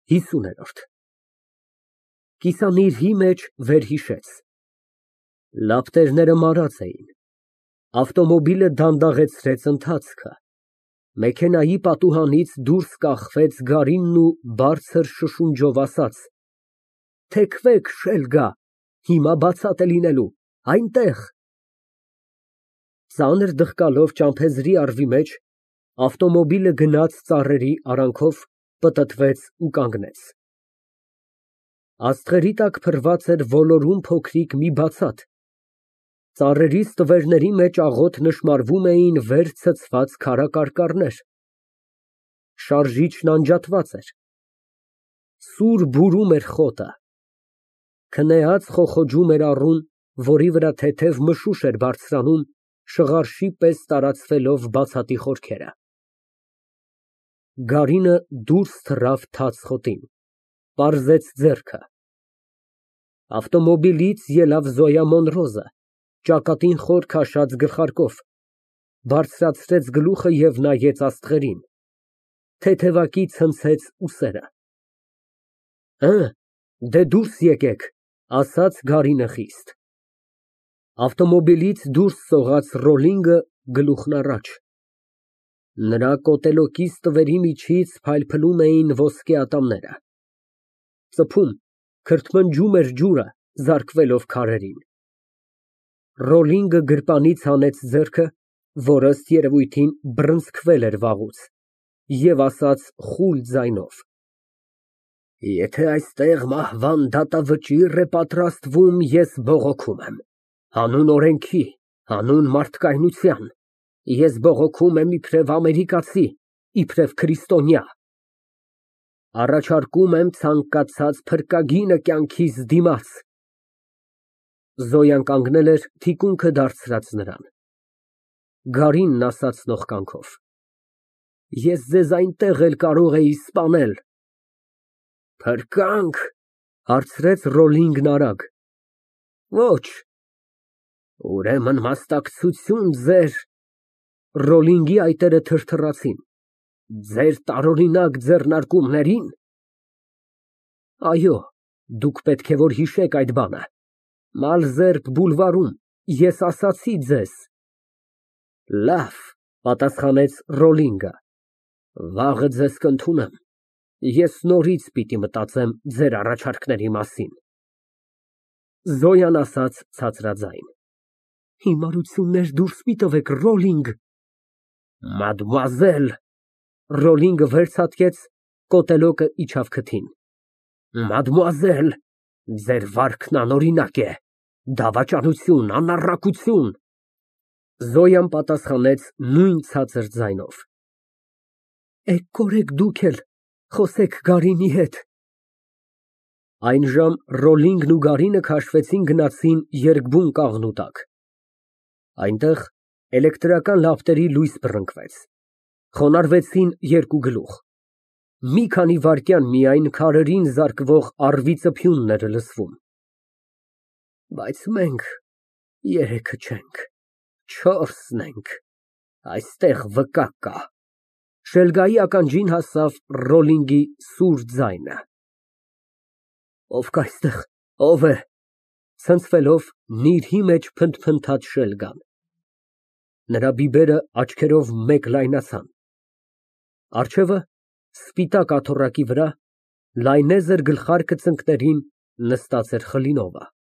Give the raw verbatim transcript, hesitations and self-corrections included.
ՀԻսուն։ Կիսանիրհի մեջ վերհիշեց։ Լապտերները մարած էին, ավտոմոբիլը դանդաղեցրեց ընթացքը, մեքենայի պատուհանից դուրս կախվեց Գարինն ու բարձր շշունջով ասաց. «Թեքվեք, շելգա, հիմա բացատ է լինելու, այնտեղ»։ Ծանր դղկալով ճամփեզի առվի մեջ, ավտոմոբիլը գնաց ծառերի արանքով, պտտվեց ու կանգնեց։ Աստղերի տակ փռված էր ոլորուն փոքրիկ մի բացատ, ծառերի ստվերների մեջ աղոտ նշմարվում էին վեր ցցված քարակարկառներ։ Շարժիչն անջատված էր, սուր բուրում էր խոտը, քնեած խոխոջում էր առուն, որի վրա թեթև մշուշ էր բարձրանում, շղարշի պես տարածվելով բացատի խորքերը։ Գարինը դուրս թռավ թաց խոտին, պարզեց ձեռքը։ Ավտոմոբիլից ելավ Զոյա Մոնրոզը, ճակատին խոր քաշած գլխարկով, բարձրացրեց գլուխը և նայեց աստղերին, թեթևակի ցնցեց ուսերը։ Հը, դե դուրս եկեք, ասաց Գարինը խիստ։ Ավտոմոբիլից դուրս սողաց Ռոլլինգը, գլուխն առաջ։ Նրա կոտելոկի ստվերի միջից փայլփլում էին ոսկե ատամները։ Ծփում, քրթմնջում էր ջուրը, զարկվելով քարերին։ Ռոլլինգը գրպանից հանեց ձեռքը, որ ըստ երևույթին բռնցքվել էր վաղուց, և ասաց խուլ ձայնով. «Եթե այստեղ մահվան դատավճիռ է պատրաստվում, ես բողոքում եմ, հանուն օրենքի, հանուն մարդկայնության, ես բողոքում եմ իբրև ամերիկացի, իբրև քրիստոնյա։ Առաջարկում եմ ցանկացած փրկագինը կյանքիս դիմաց»։ Զոյան կանգնել էր, թիկունքը դարձրած նրան։ Գարինն ասաց նողկանքով. Ես ձեզ այնտեղ էլ կարող էի սպանել։ Փրկա՞նք, հարցրեց Ռոլլինգն արագ։ Ոչ։ Ուրեմն մասնակցություն ձեր… Ռոլլինգի այտերը թրթռացին։ Ձեր տարօրինակ ձեռնարկումների՞ն։ Այո, դուք պետք է որ հիշեք այդ բանը, Մալզերբ բուլվարում, ես ասացի ձեզ… Լավ, պատասխանեց Ռոլլինգը, վաղը ձեզ կընդունեմ, ես նորից պիտի մտածեմ ձեր առաջարկների մասին։ Զոյան ասաց ցածրաձայն. Հիմարություններ դուրս մի տվեք, Ռոլլինգ։ Մադմուազել… Ռոլլինգը վերցատկեց, կոտելոկը իջավ քթին։ Մադմուազել, ձեր վարքն անօրինակ է, դավաճանություն, անառակություն… Զոյան պատասխանեց նույն ցածր ձայնով. Էգ կորեք դուք էլ, խոսեք Գարինի հետ։ Այնժամ Ռոլլինգն ու Գարինը քաշվեցին գնացին երկբուն կաղնու տակ։ Այնտեղ էլեկտրական լապտերի լույս բռնկվեց, խոնարհվեցին երկու գլուխ։ Մի քանի վայրկյան միայն քարերին զարկվող առվի ծփյունն էր լսվում։ Բայց մենք երեքը չենք, չորսն ենք, այստեղ վկա կա։ Շելգայի ականջին հասավ Ռոլլինգի սուր ձայնը։ Ով կա այստեղ, ո՞վ է, ցնցվելով նիրհի մեջ փնթփնթաց Շելգան։ Նրա բիբերը աչքերով մեկ լայնացան։ Առջևը, սպիտակ աթոռակի վրա, լայնեզր գլխարկը ծնկներին, նստած էր Խլինովը։